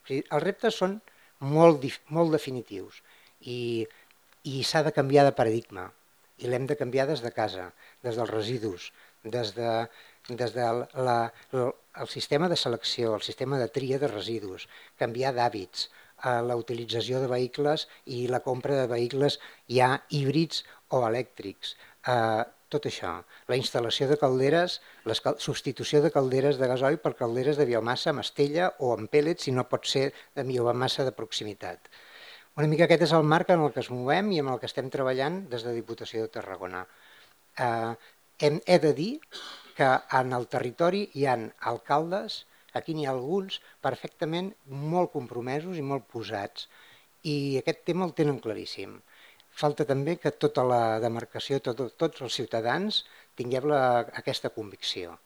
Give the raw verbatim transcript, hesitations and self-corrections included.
O sigui, els reptes són molt, molt definitius i, i s'ha de canviar de paradigma i l'hem de canviar des de casa, des dels residus, des de, des de la, la, el sistema de selecció, el sistema de tria de residus, canviar d'hàbits, eh, la utilització de vehicles i la compra de vehicles ja híbrids o elèctrics, eh, tot això, la instal·lació de calderes, la substitució de calderes de gasoil per calderes de biomassa amb estella o amb pèl·lets si no pot ser de biomassa de proximitat. Una mica aquest és el marc en el que es movem i en el que estem treballant des de Diputació de Tarragona. Eh, hem, he de dir que en el territori hi ha alcaldes, aquí n'hi ha alguns, perfectament molt compromesos i molt posats, i aquest tema el tenen claríssim. Falta també que tota la demarcació, tot, tots els ciutadans, tinguem la, aquesta convicció.